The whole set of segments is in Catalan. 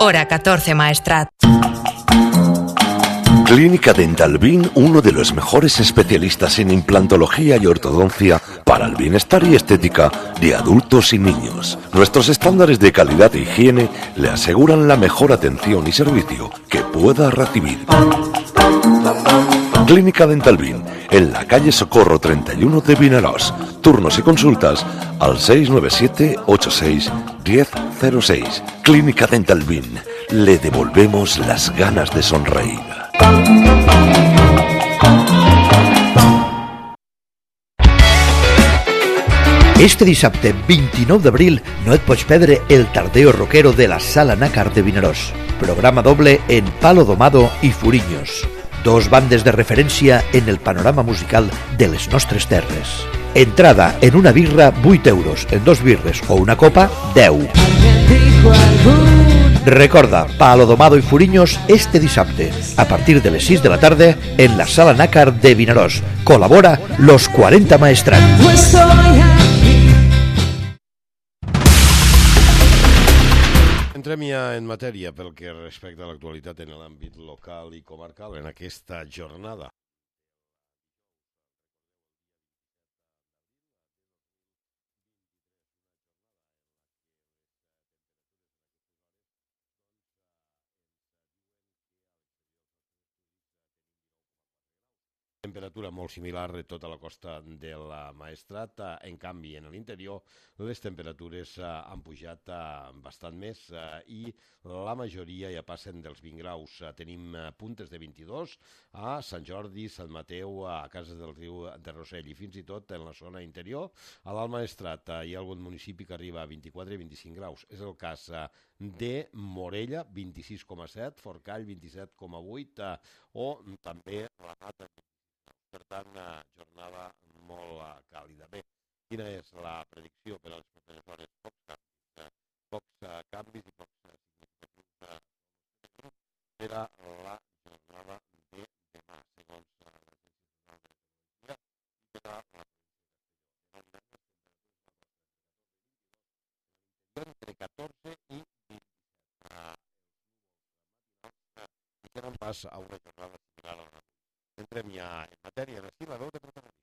Hora 14 Maestrat. Clínica Dental Bin, uno de los mejores especialistas en implantología y ortodoncia para el bienestar y estética de adultos y niños. Nuestros estándares de calidad e higiene le aseguran la mejor atención y servicio que pueda recibir. Clínica Dental Bin, en la calle Socorro 31 de Vinaròs. Turnos y consultas al 697 86 1006. Clínica Dental Bin, le devolvemos las ganas de sonreír. Este dissabte 29 d'abril no et pots perdre el tardeo rockero de la Sala Nácar de Vinaròs. Programa doble en Palo Domado i Furiños. Dos bandes de referència en el panorama musical de les nostres terres. Entrada en una birra 8 euros, en 2 birres o una copa 10. Recorda, Palo Domado i Furiños este dissabte, a partir de les 6 de la tarda, en la Sala Nácar de Vinaròs. Col·labora Los 40 Maestrat. Entrem ja en matèria pel que respecta a l'actualitat en l'àmbit local i comarcal en aquesta jornada. Temperatura molt similar de tota la costa del Maestrat. En canvi, en l'interior, les temperatures han pujat bastant més i la majoria ja passen dels 20 graus. Tenim puntes de 22 a Sant Jordi, Sant Mateu, a Cases del Riu de Rossell i fins i tot en la zona interior. A l'Alt Maestrat hi ha algun municipi que arriba a 24 i 25 graus. És el cas de Morella, 26,7, Forcall, 27,8 o també la Mata. Per tant, jornada molt càlida. Bé, quina és la predicció per a les properes hores? Pocs canvis i pocs significatius per a la jornada de demà, segons l'Agència Nacional de Meteorologia, i per a la entre 14 i 27. I tenen pas a una jornada similar a la. Entrem ja en matèria de la veu de protagonistes.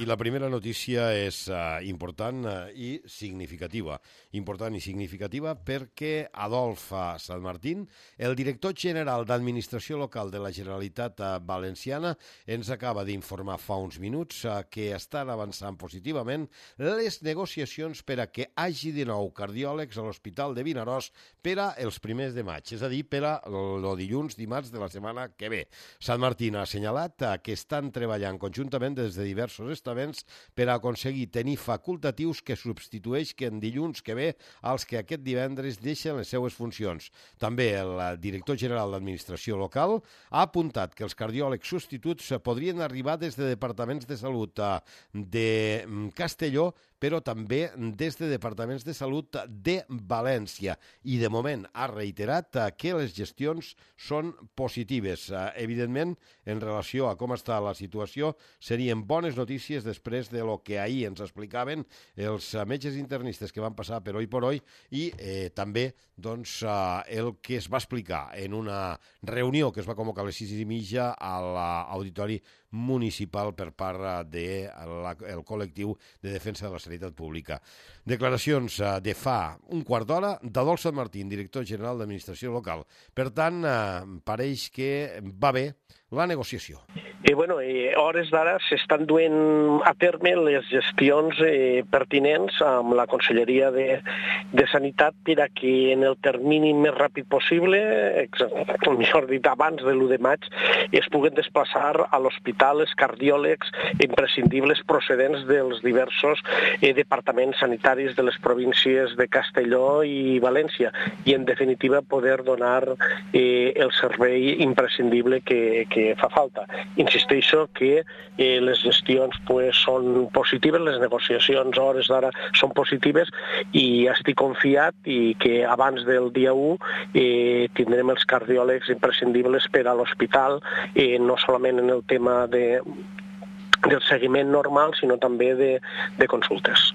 I la primera notícia és important i significativa. Important i significativa perquè Adolf Sanmartín, el director general d'Administració Local de la Generalitat Valenciana, ens acaba d'informar fa uns minuts que estan avançant positivament les negociacions per a que hagi de nou cardiòlegs a l'Hospital de Vinaròs per a els primers de maig, és a dir, per a el dilluns, dimarts de la setmana que ve. Sanmartín ha assenyalat que estan treballant conjuntament des de diversos estaments per a aconseguir tenir facultatius que substitueixin dilluns que ve als que aquest divendres deixen les seues funcions. També el director general d'Administració Local ha apuntat que els cardiòlegs substituts podrien arribar des de departaments de salut de Castelló, però també des de departaments de salut de València. I de moment ha reiterat que les gestions són positives. Evidentment, en relació a com està la situació, serien bones notícies després de lo que ahir ens explicaven els metges internistes que van passar per Oi por Oi i també el que es va explicar en una reunió que es va convocar a les 6:30 a l'Auditori Municipal per part del col·lectiu de defensa de la sanitat pública. Declaracions de fa un quart d'hora d'Adolf Sanmartín, director general d'Administració Local. Per tant, pareix que va bé la negociació. Hores d'ara s'estan duent a terme les gestions pertinents amb la Conselleria de Sanitat per a que en el termini més ràpid possible, millor dit abans de l'1 de maig, es puguen desplaçar a l'hospital els cardiòlegs imprescindibles procedents dels diversos departaments sanitaris de les províncies de Castelló i València i, en definitiva, poder donar el servei imprescindible que fa falta. Insisteixo que les gestions són positives, les negociacions a hores d'ara són positives i estic confiat i que abans del dia 1 tindrem els cardiòlegs imprescindibles per a l'hospital, no solament en el tema del seguiment normal, sinó també de consultes.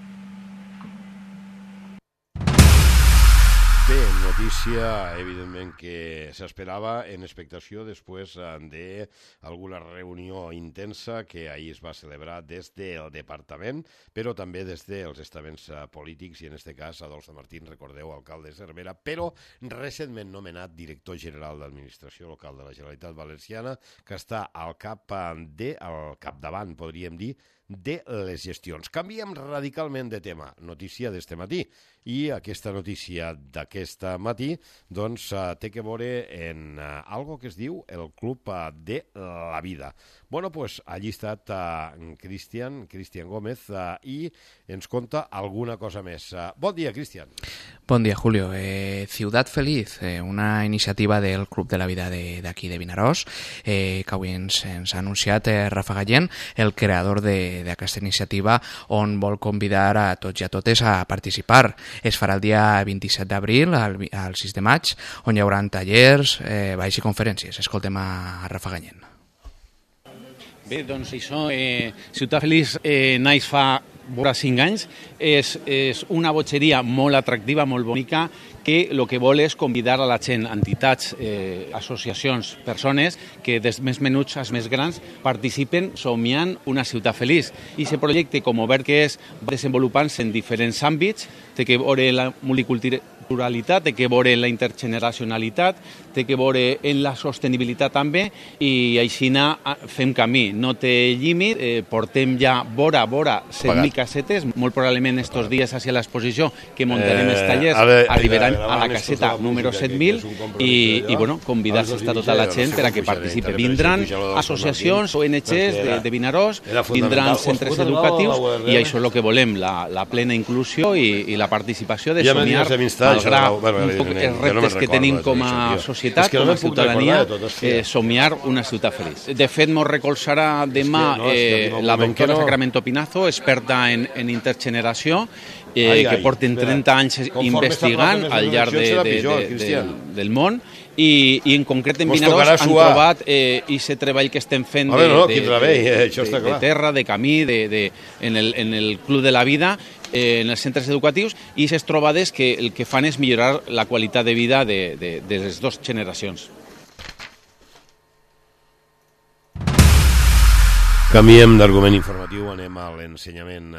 Bé, notícia, evidentment, que s'esperava en expectació després d'alguna reunió intensa que ahir es va celebrar des del departament, però també des dels estaments polítics, i en aquest cas Adolfo Martín, recordeu, alcalde de Cervera, però recentment nomenat director general d'Administració Local de la Generalitat Valenciana, que està al capdavant, podríem dir, de les gestions. Canviem radicalment de tema, notícia d'este matí, i aquesta notícia d'aquest matí doncs té que veure en algo que es diu el Club de la Vida. Bueno, pues allí ha estat Cristian Gómez i ens conta alguna cosa més. Bon dia, Cristian. Bon dia, Julio. Ciutat Feliz, una iniciativa del Club de la Vida d'aquí de Vinaròs, que avui ens ha anunciat Rafa Gallén, el creador d'aquesta iniciativa, on vol convidar a tots i a totes a participar. Es farà el dia 27 d'abril al 6 de maig, on hi haurà tallers, balls i conferències. Escoltem a Rafa Gallén. Bé, doncs això, Ciutat Feliç naix fa vora 5 anys, és una botxeria molt atractiva, molt bonica, que el que vol és convidar a la gent, entitats, associacions, persones que des més menuts als més grans participen somiant una ciutat feliç. I aquest projecte, com obert que és, va desenvolupant-se en diferents àmbits, té que veure la multiculturalitat, té que veure la intergeneracionalitat, té que veure en la sostenibilitat també, i així fem camí. No té límit, portem ja vora 7.000 casetes, molt probablement estos dies hacia l'exposició que muntarem els tallers arribaran a la caseta número 7.000 i bueno, convidar-se a tota la gent per a que participi. Vindran associacions, ONGs de Vinaròs, vindran centres educatius i això és el que volem, la plena inclusió i la participació de somiar, malgrat els reptes que tenim com a societat, com a ciutadania, somiar una ciutat feliç. De fet, ens recolzarà demà la doctora Sacramento Pinazo, experta en intergeneració, que porten 30 anys investigant al llarg del món, i en concret en Vinaròs han trobat aquest treball que estem fent de terra, de camí, en el Club de la Vida, en els centres educatius, i aquestes trobades que el que fan és millorar la qualitat de vida de les dues generacions. Canviem d'argument informatiu, anem a l'ensenyament.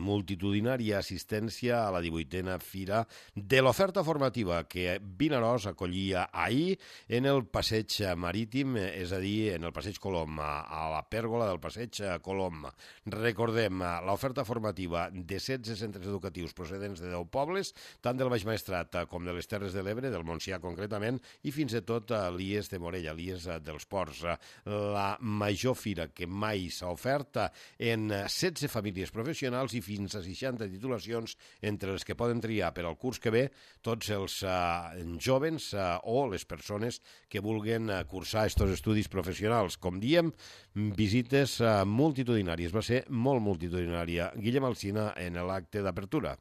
Multitudinària assistència a la 18a Fira de l'oferta formativa que Vinaròs acollia ahir en el Passeig Marítim, és a dir, en el Passeig Colom, a la pèrgola del Passeig Colom. Recordem, l'oferta formativa de 16 centres educatius procedents de 10 pobles, tant del Baix Maestrat com de les Terres de l'Ebre, del Montsià concretament, i fins i tot l'IES de Morella, l'IES dels Ports. La major fira que mai s'ha ofert en 16 famílies professionals i fins a 60 titulacions, entre les que poden triar per al curs que ve tots els jovens o les persones que vulguen cursar aquests estudis professionals. Com diem, visites multitudinàries. Va ser molt multitudinària. Guillem Alsina en l'acte d'apertura.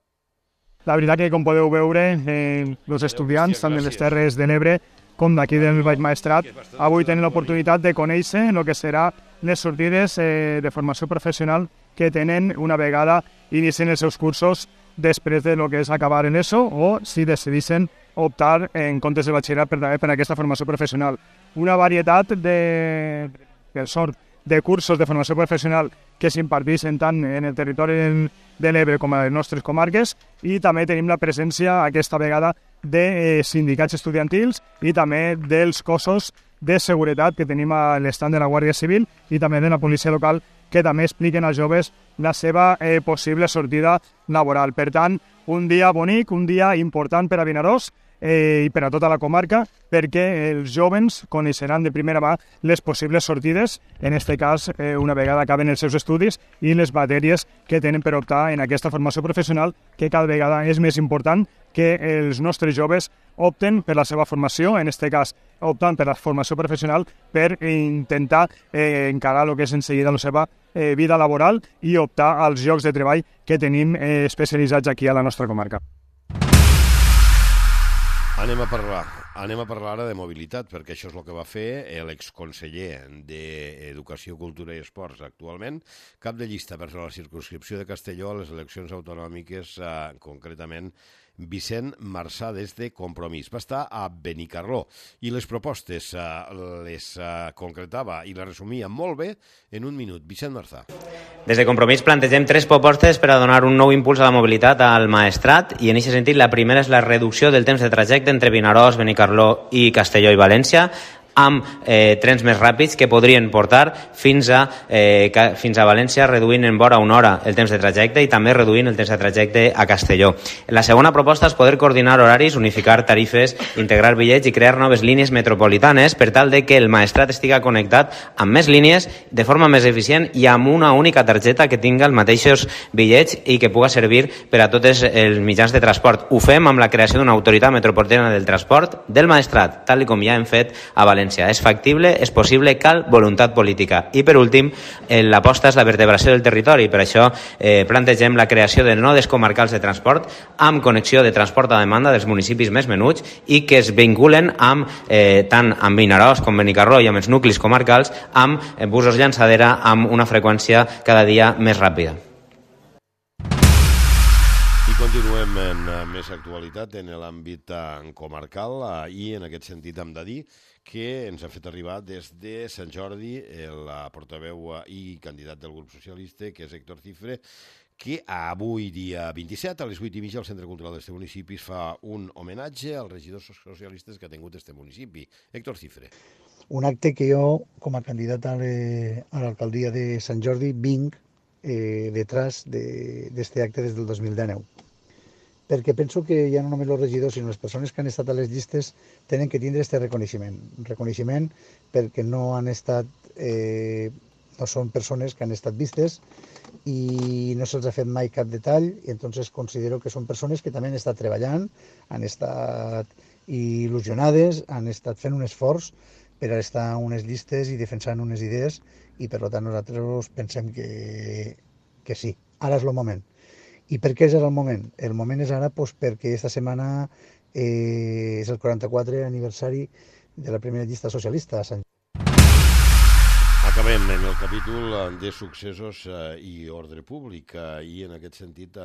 La veritat que, com podeu veure, els estudiants, tant de les Terres de l'Ebre com d'aquí del Baix Maestrat, avui tenen l'oportunitat de conèixer el que serà les sortides de formació professional que tenen una vegada inicien els seus cursos després de lo que és acabar en ESO, o si decidissin optar en comptes de batxillerat per aquesta formació professional. Una varietat de cursos de formació professional que s'imparteixen tant en el territori de l'Ebre com a les nostres comarques, i també tenim la presència aquesta vegada de sindicats estudiantils i també dels cossos de seguretat que tenim a l'estand de la Guàrdia Civil i també de la policia local, que també expliquen als joves la seva possible sortida laboral. Per tant, un dia bonic, un dia important per a Vinaròs i per a tota la comarca, perquè els jovens coneixeran de primera mà les possibles sortides, en aquest cas una vegada acaben els seus estudis, i les matèries que tenen per optar en aquesta formació professional, que cada vegada és més important que els nostres joves opten per la seva formació, en aquest cas optant per la formació professional per intentar encarar el que és en seguida la seva vida laboral i optar als llocs de treball que tenim especialitzats aquí a la nostra comarca. Anem a parlar ara de mobilitat, perquè això és el que va fer l'exconseller d'Educació, Cultura i Esports actualment, cap de llista per la circumscripció de Castelló a les eleccions autonòmiques, concretament Vicent Marçà des de Compromís. Va estar a Benicarló i les propostes les concretava i les resumia molt bé en un minut. Vicent Marçà. Des de Compromís plantegem 3 propostes per a donar un nou impuls a la mobilitat al Maestrat i en aquest sentit la primera és la reducció del temps de trajecte entre Vinaròs, Benicarló i Castelló i València amb trens més ràpids que podrien portar fins a València reduint en vora una hora el temps de trajecte i també reduint el temps de trajecte a Castelló. La segona proposta és poder coordinar horaris, unificar tarifes, integrar bitllets i crear noves línies metropolitanes per tal de que el Maestrat estiga connectat amb més línies de forma més eficient i amb una única targeta que tinga els mateixos bitllets i que puga servir per a tots els mitjans de transport. Ho fem amb la creació d'una autoritat metropolitana del transport del Maestrat, tal com ja hem fet a València. És factible, és possible, cal voluntat política. I per últim, l'aposta és la vertebració del territori. Per això plantegem la creació de nodes comarcals de transport amb connexió de transport a demanda dels municipis més menuts i que es vinculen tant amb Vinaròs com Benicarló i amb els nuclis comarcals amb busos llançadera amb una freqüència cada dia més ràpida. Continuem en més actualitat en l'àmbit comarcal i en aquest sentit hem de dir que ens ha fet arribar des de Sant Jordi el portaveu i candidat del grup socialista, que és Héctor Cifre, que avui, dia 27, a les 8:30, al Centre Cultural d'este municipi es fa un homenatge als regidors socialistes que ha tingut este municipi. Héctor Cifre. Un acte que jo, com a candidat a l'alcaldia de Sant Jordi, vinc detrás d'este acte des del 2019. Perquè penso que ja no només els regidors, sinó les persones que han estat a les llistes tenen que tindre aquest reconeixement. Reconeixement perquè no han estat, no són persones que han estat vistes i no se'ls ha fet mai cap detall i entonces considero que són persones que també han estat treballant, han estat il·lusionades, han estat fent un esforç per a estar en unes llistes i defensant unes idees i per tant nosaltres pensem que sí, ara és el moment. I per què és ara el moment? El moment és ara perquè esta setmana és el 44è aniversari de la primera llista socialista a Sant Jordi. Acabem en el capítol de successos i ordre públic i en aquest sentit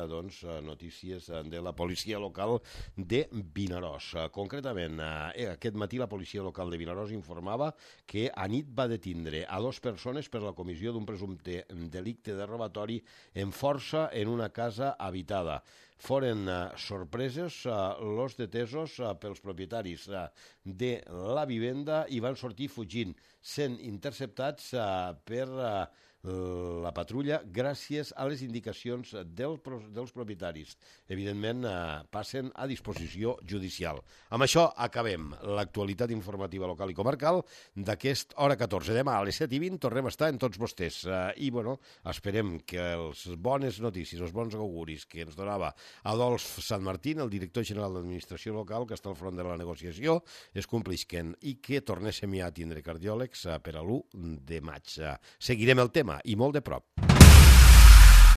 notícies de la policia local de Vinaròs. Concretament, aquest matí la policia local de Vinaròs informava que anit va detindre a 2 persones per la comissió d'un presumpte delicte de robatori en força en una casa habitada. Foren sorpresos els detesos pels propietaris de la vivenda i van sortir fugint, sent interceptats per la patrulla gràcies a les indicacions dels propietaris. Evidentment, passen a disposició judicial. Amb això acabem l'actualitat informativa local i comarcal d'aquest hora 14. Demà a les 7:20 tornem a estar en tots vostès. I, esperem que les bones notícies, els bons auguris que ens donava Adolf Santmartín, el director general d'Administració Local, que està al front de la negociació, es complisquen i que tornéssim ja a tindre cardiòlegs per a l'1 de maig. Seguirem el tema i molt de prop.